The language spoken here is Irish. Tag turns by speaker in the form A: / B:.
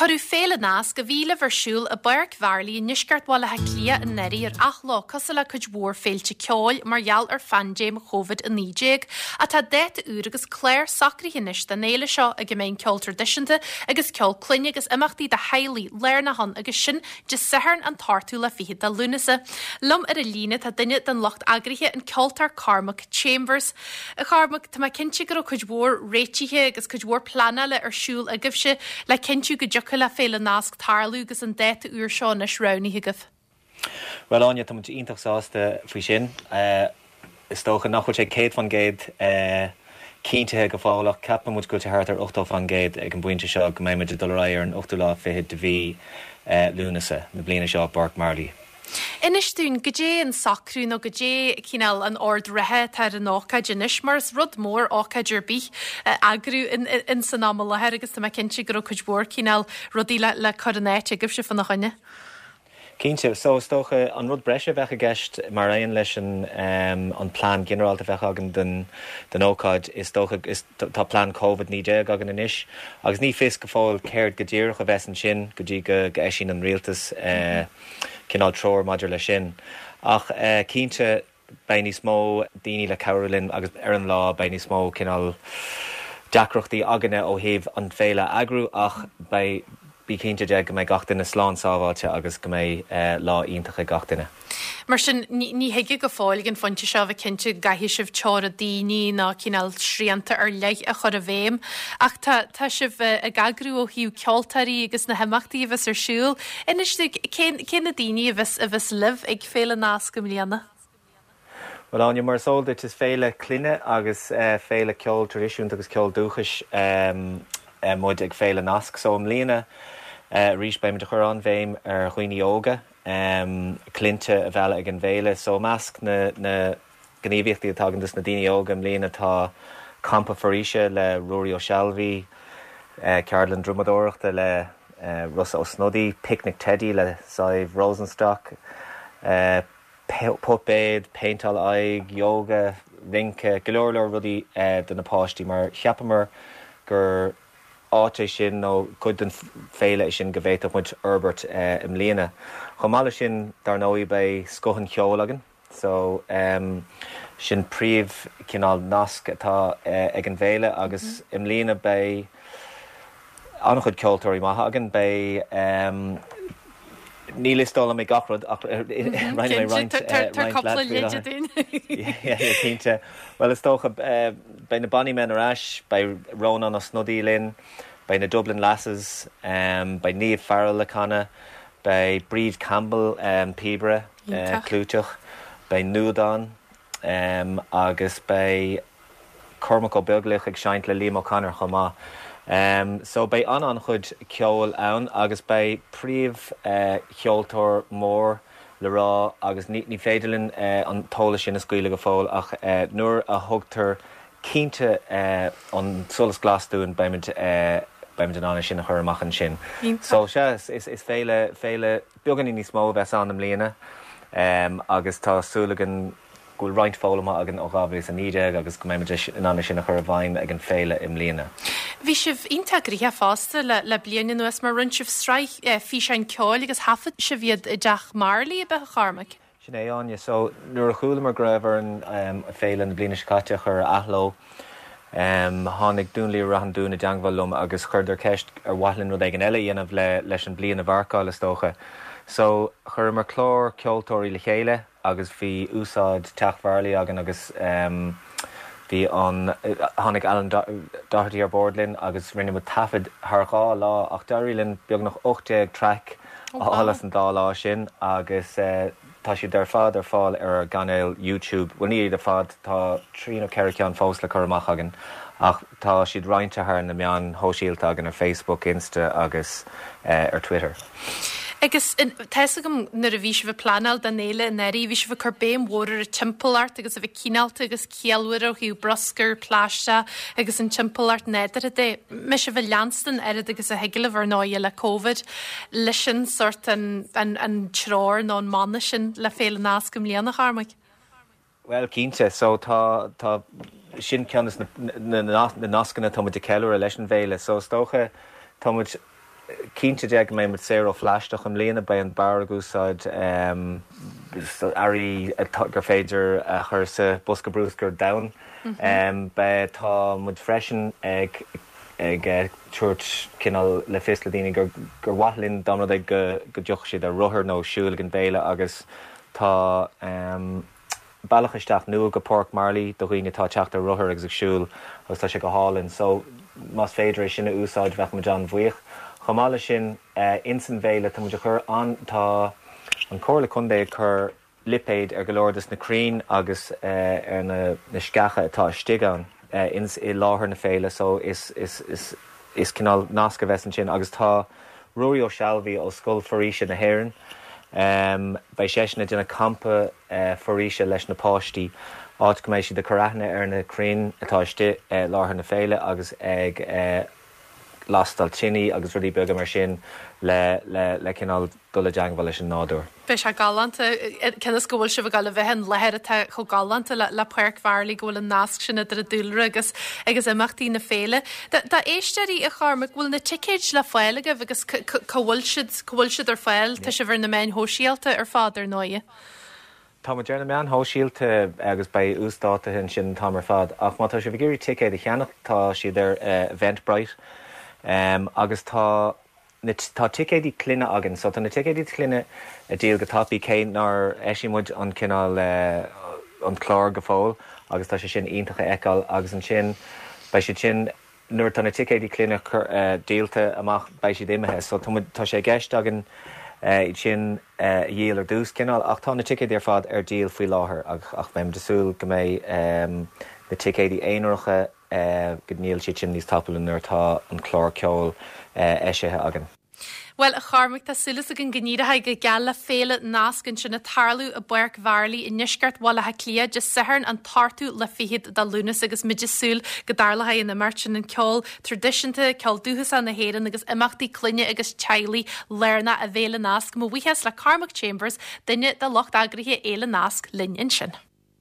A: Cuireadh Féile Nasc, a bhí le bheith ar siúl i bPáirc Mharlaí i ndeisceart Bhaile Átha Cliath anuraidh ar athló, cosúil le cuid mhór féilte ceoil, mar gheall ar phaindéim Covid-19. Ach tá dáta úr agus clár socraithe anois don fhéile seo ag a mbeidh an ceol traidisiúnta agus ceol clainne agus imeachtaí do theaghlaigh lárnach ann agus sin Dé Sathairn an t-ochtú lá fichead de Lúnasa. Liom ar an líne tá duine den lucht eagraithe, an ceoltóir Cormac Chambers. A Chormaic, tá mé cinnte go raibh cuid mhór réitithe agus cuid mhór pleanála ar siúl agaibhse le cinntiú go dtiocfadh le Féile Nasc tarlú agus an dáta úr seo anois roghnaithe agaibh.
B: Bhuel, Áine, tá muid iontach sásta faoi sin. Is dócha nach bhfuil sé 100% cinntithe go fóill ach ceapann muid go bhfuil sé thart ar 80% ag an bpointe seo go mbeidh muid ag dul ar aghaidh ar an ochtú lá fichead de mhí Lúnasa na bliana seo i bPáirc Marlay.
A: Inis dúinn, goidé an socrú nó goidé cineál an ord reatha atá ar an ócáid anois, mar is rud mór ócáid ar bith a eagrú in san am i láthair agus tá mé cinnte go raibh cuid mhór cineál rudaí le cur in áit agaibhse fána choinne.
B: Cinnte. So, is dócha, an rud breise a bheadh i gceist, mar aon leis an an plean ginearálta a bheadh againn don don ócáid, is dócha, is tá plean Covid 19 againn anois agus ní fios go fóill céard go díreach a bheas ansin go dtí go go eisíonn an rialtas cineál treoir maidir leis sin. Ach cinnte, beidh níos mó daoine le cabhrú linn agus ar an lá beidh níos mó cineál deacrachtaí againne ó thaobh an féile a eagrú ach beidh, bí cinnte de go mbeidh gach duine slán sábháilte agus go mbeidh lá iontach ag gach duine.
A: Mar sin, ní thig go fóill ag an phointe seo a bheith cinnte go gcaithfidh sibh teora daoine nó cineál srianta ar leith a chur i bhfeidhm ach tá, tá sibh ag eagrú ó thaobh ceoltóirí agus na himeachtaí a bheas ar siúl. Inis dúinn, cé, cé na daoine a bheas, a bheas libh ag Féile Nasc i mbliana?
B: Bhuel, Áine, mar is eol duit, is féile clainne agus féile ceol traidisiúnta agus ceol dúchais muid ag Féile Nasc. So i mbliana arís beimid ag cur an-bhéim ar dhaoine óga, clainne a mhealladh ag an bhféile. So i measc na na gníomhaíochtaí atá againn dos na daoine óga i mbliana tá Campa Foraoise le Ruairí Ó Sealbhaí, ceardlann drumadóireachta le Rossa Ó Snodaigh, Picnic Teidí le Sadhbh Rosenstock, puipéad, péinteáil aghaidh, yoga, rince, go leor leor rudaí do na páistí mar cheapamar gur áit é sin nó cuid den féile é sin go bhféadfadh muid fhorbairt i mbliana. Chomh maith leis sin, dar ndóigh, beidh scoth an cheoil againn so sin príomh cineál nasc atá ag an bhféile agus i mbliana beidh an-chuid ceoltóirí maithe againn. Beidh, ní liostálfaidh mé gach rud ach roinnfidh mé roinnt roinnt leat faoi láthair. Cinnte. Bhuel is dócha beidh na Bonny Men ar ais, beidh Rónán Ó Snodaigh linn, beidh na Dublin Lasses, beidh Niamh Farrell ag canadh, beidh Bríd Campbell, píobaire clúiteach, beidh Nuadán agus beidh Cormac Ó Beaglaoich ag seinnt le Liam O'Connor chomh maith. So beidh an-an-chuid ceoil ann agus beidh príomh cheoltóir mór le rá agus ní ní féidir linn an t-eolas sin a scaoileadh go fóill ach nuair a thugtar cinnte an solas glas dúinn beimid beimid in ann é sin a chur amach ansin. So sea is is féile féile beagáinín níos mó a bheas ann i mbliana agus tá súil againn go bhfuil roinnt foghlamtha againn ó 2019 agus go mbeimid in ann é sin a chur i bhfeidhm ag an féile i mbliana.
A: Bhí sibh iontach gnoitheach fosta le le bliain anuas mar rinne sibh sraith físeáin ceoil agus thaifead sibh iad i dTeach Marlay, ab ea, a Chormaic?
B: Sin é, Áine. So, nuair a chualamar go raibh orainn féile na bliana seo caite a chur ar athló, tháinig Dún Laoghaire-Rath an Dúin i dteangmháil liom agus chuireadar ceist ar mhaith linn rud éigin eile a dhéanamh le leis an bliain a mharcáil, is dócha. So, chuireamar clár ceoltóirí le chéile, agus bhí úsáid Teach Mharlaí againn agus bhí an, tháinig Alan Doherty ar bord linn agus rinne muid taifead thar dhá lá ach d'éirigh linn beagnach 18 traic a fháil as an dá lá sin agus tá siad ar fad ar fáil ar ár gcainéal YouTube, bhuel ní iad ar fad, tá trí nó ceithre cheann fós le cur amach againn ach tá siad roinnte thar na meáin shóisialta againn ar Facebook, Insta agus ar Twitter.
A: Agus tá fhios agam nuair a bhí sibh ag pleanáil don fhéile anuraidh, bhí sibh ag cur béim mhór ar an timpeallacht agus a bheith cineálta agus ciallmhar ó thaobh bruscar, plaisteach agus an timpeallacht nádúrtha de. Mbeidh sibh ag leanstan oiread agus a thig libh ar ndóighe le Covid, leis sin sórt an an treoir nó an mana sin le Féile Nasc i mbliana, a Chormaic?
B: Bhuel, cinnte. So, tá, tá, sin ceann de na, na nascanna atá muid ag ceiliúradh leis an bhféile. So, is dócha, tá muid. Cinnte de go mbeidh muid saor ó phlaisteach i mbliana, beidh an beár ag úsáid earraí gur féidir a chur sa bosca bruscair donn. Beidh, tá muid freisin ag ag tabhairt cineál le fios le daoine gur gur mhaith linn dá mba rud é go go dtiocfadh siad ar rothar nó siúl ag an bhféile agus tá bealach isteach nua go Páirc Marley do dhaoine atá ag teacht ar rothar agus ag siúl agus tá sé go hálainn so más féidir é sin a úsáid bheadh muid an-bhuíoch. Chomh maith leis sin ins an bhféile tá muid ag cur an tá an Comhairle Contae ag cur lipéid ar go leor des na crainn agus ar na na sceacha atá istigh ann ins i láthair na féile so is is is is cineál nasc a bheas ansin agus tá Ruairí Ó Sealbhaí ó Scoil Foraoise na hÉireann beidh seisean ag déanamh campa foraoise leis na páistí, áit go mbeidh siad ag cur aithne ar na crainn atá istigh i láthair na féile agus ag lastáil tiní agus rudaí beaga mar sin le le cineál dul i dteangmháil leis an nádúr.
A: Beidh sé galánta, cionn is go bhfuil sibh ag dul a bheith in láthair atá chomh galánta le le Páirc Mharlaí, go bhfuil an nasc sin idir an dúlra agus agus imeachtaí na féile. Do éisteoirí, a Chormaic, bhfuil na ticéid le fáil agaibh agus cá bhfuil siad, cá bhfuil siad ar fáil? Tá sibh ar na meáin shóisialta ar fad, ar ndóighe.
B: Tá muid ar na meáin shóisialta agus beidh uasdátuithe ansin an t-am ar fad ach má tá sibh ag iarraidh ticéad a cheannach tá siad ar Eventbrite agus tá na tá ticéidí clainne againn so tá na ticéidí clainne ag díol go tapaidh cé nár eisigh muid an cineál an clár go fóill agus tá sé sin iontach a fheiceáil agus ansin beidh siad sin Nuair atá na ticéidí clainne díolta amach beidh siad imithe so tá muid, tá sé i gceist againn iad sin a dhíol ar dtús cineál ach tá na ticéidí ar fad ar díol faoi láthair ach ach beidh muid ag súil go mbeidh na ticéidí aonaracha go ndíolfaidh siad sin níos tapúla nuair atá an clár ceoil eisithe againn.
A: Bhuel, a Chormaic, tá súil againn go n-éireoidh go geal le Féile Nasc ansin ag tarlú i bPáirc Mharlaí i ndeisceart Bhaile Átha Cliath Dé Sathairn an t-ochtú lá fichead de Lúnasa agus muid ag súil go dtarlóidh an imeacht sin, an ceol traidisiúnta, ceol dúchasach na hÉireann agus imeachtaí clainne agus teaghlaigh lárnach i bhFéile Nasc. Mo bhuíochas le Cormac Chambers, duine de lucht eagraithe Fhéile Nasc, linn ansin.